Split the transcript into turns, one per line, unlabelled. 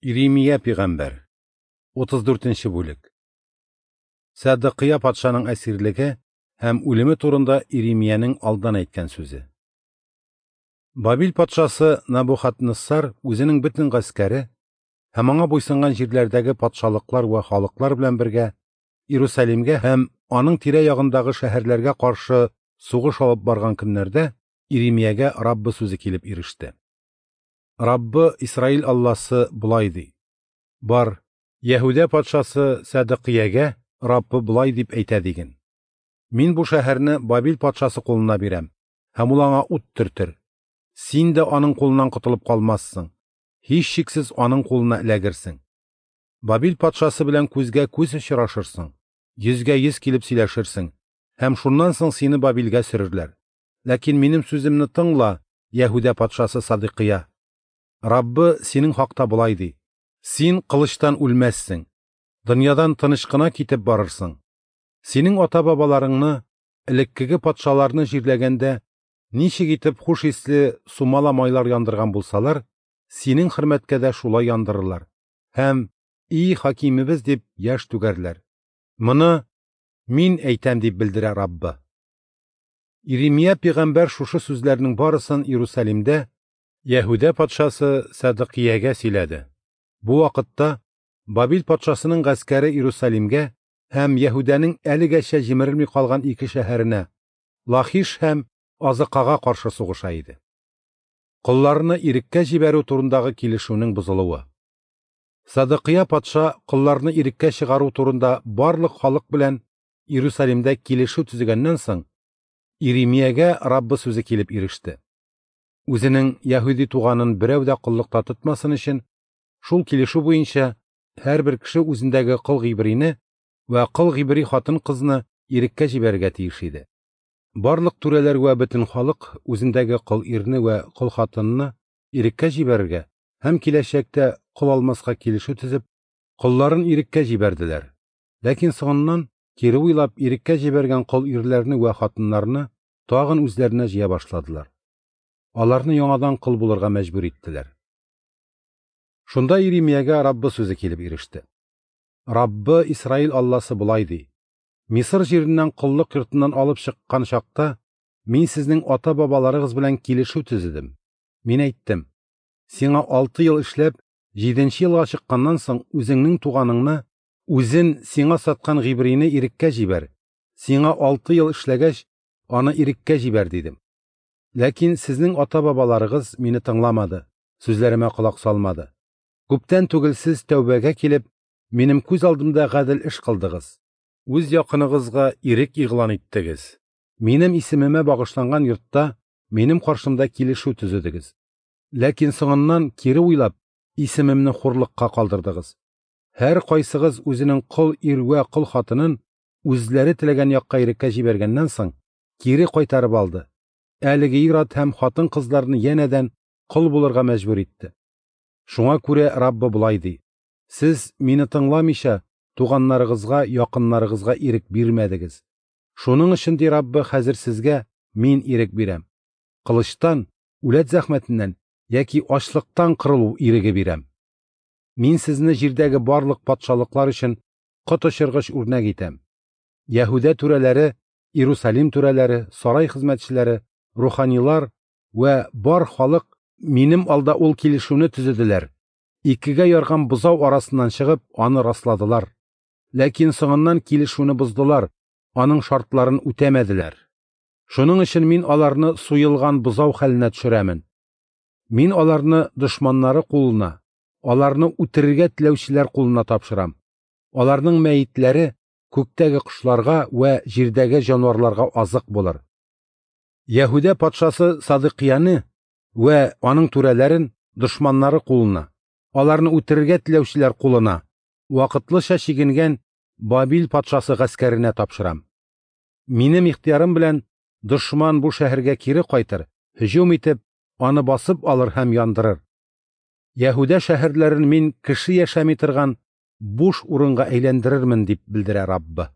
Иремия пәйгамбәр, 34 нче бүлек. Сәдыкыя патшаның әсирлеге һәм үлеме турында Иремиянең алдан әйткән сүзе. Бабил патшасы Набухаднессар үзенең бөтен гаскәре һәм аңа буйсынган җирләрдәге патшалыклар вә халыклар белән бергә Иерусалимгә һәм аның тирә-ягындагы шәһәрләргә каршы сугыш алып барган көннәрдә Иремиягә Раббы сүзе килеп иреште. Раббы Исраил Алласы болай ди: Бар, Яһүдә патшасы Сәдыкиягә Раббы болай дип әйтә диген: Мин бу шәһәрне Бабил патшасы кулына бирәм, һәм ул аңа ут төртер. Син дә аның кулыннан котылып калмассың, һичшиксез аның кулына эләгерсең. Бабил патшасы белән күзгә күз очрашырсың, йөзгә йөз килеп сөйләшерсең, һәм шуннан соң сине Бабилгә сөрерләр. Ләкин минем сүземне тыңла, Яһүдә патшасы Садыкыя. Раббы синең хакта болай ди: Син кылычтан үлмәссең, дөньядан тыныч кына китеп барырсың. Синең ата-бабаларыңны, элеккеге патшаларны җирләгәндә ничек итеп хуш исле сумала майлар яндырган булсалар, синең хөрмәткә дә шулай яндырырлар һәм "И хакимебез" дип яшь түгәрләр. Моны мин әйтәм дип белдерә Раббы. Иремия пәйгамбәр шушы сүзләрнең барысын Иерусалимдә Яһүдә патшасы Сәдыкиягә сөйләде. Бу вакытта Бабил патшасының гаскәре Иерусалимгә һәм Яһүдәнең әлегәчә җимерелми калган ике шәһәренә Лахиш һәм Азыкага каршы сугыша иде. Колларны иреккә җибәрү турындагы килешүнең бозылуы. Садыкия патша колларны иреккә чыгару турында барлык халык белән Иерусалимдә килешү төзегәннән соң, Иремиягә Раббы сүзе килеп иреште. Үзенең яһүди туганын берәү дә коллыкта тотмасын өчен, шул килешү буенча һәрбер кеше үзендәге кол гыйбрине вә кол гыйбри хатын-кызны иреккә җибәрергә тиеш иде. Барлык түрәләр вә бөтен халык үзендәге кол ирне вә кол хатынны иреккә җибәрергә һәм киләчәктә кол алмаска килешү төзеп, колларын иреккә җибәрделәр. Ләкин соңыннан кире уйлап иреккә җибәргән кол ирләрне вә хатыннарны тагын үзләренә җыя башладылар. Аларны яңадан кол булырга мәҗбүр иттеләр. Шунда Иремиягә Раббы сүзе килеп иреште. Раббы Исраил Алласы болай ди: Мисыр җиреннән коллык йортыннан алып чыккан чакта мин сезнең ата-бабаларыгыз белән килешү төзедем. Мин әйттем: Сиңа 6 ел эшләп, 7нче елга чыкканнан соң үзеңнең туганыңны, үзен сиңа саткан гыйбрине иреккә җибәр. Сиңа 6 ел эшләгәч, аны иреккә җибәр дидем. Ләкин сезнең ата-бабаларыгыз мине тыңламады, сүзләремә колак салмады. Күптән түгел сез тәүбәгә килеп, минем күз алдымда гадел эш кылдыгыз. Үз якыныгызга ирек игълан иттегез. Минем исемемә багышланган йортта минем каршымда килешү төзедегез. Ләкин соңыннан кире уйлап, исемемне хурлыкка калдырдыгыз. Һәр кайсыгыз үзенең кол ир вә кол хатынын үзләре теләгән якка иреккә җибәргәннән соң кире кайтарып алды. Әлеге ир-ат һәм хатын-кызларны янәдән кол булырга мәҗбүр итте. Шуңа күрә Раббы болай ди: Сез мине тыңламыйча туганнарыгызга, якыннарыгызга ирек бирмәдегез. Шуның өчен, ди Раббы, хәзер сезгә мин ирек бирәм. Кылычтан, үләт зәхмәтеннән яки ачлыктан кырылу иреге бирәм. Мин сезне җирдәге барлык патшалыклар өчен коточыргыч үрнәк итәм. Яһүдә түрәләре, Иерусалим түрәләре, сарай хезмәтчеләре, руханилар вә бар халык минем алда ул килешүне төзеделәр. Икегә ярган бозау арасыннан чыгып, аны расладылар. Ләкин соңыннан килешүне боздылар, аның шартларын үтәмәделәр. Шуның өчен мин аларны суелган бозау хәленә төшерәмен. Мин аларны дошманнары кулына, аларны үтерергә теләүчеләр кулына тапшырам. Аларның мәетләре күктәге кошларга вә җирдәге җанварларга азык булыр. Яһүдә патшасы Садыкияне вә аның түрәләрен дошманнары кулына, аларны үтерергә теләүчеләр кулына, вакытлыча чигенгән Бабил патшасы гаскәренә тапшырам. Минем ихтыярым белән дошман бу шәһәргә кире кайтыр, һөҗүм итеп, аны басып алыр һәм яндырыр. Яһүдә шәһәрләрен мин кеше яшәми торган буш урынга әйләндерермен дип белдерә Раббы.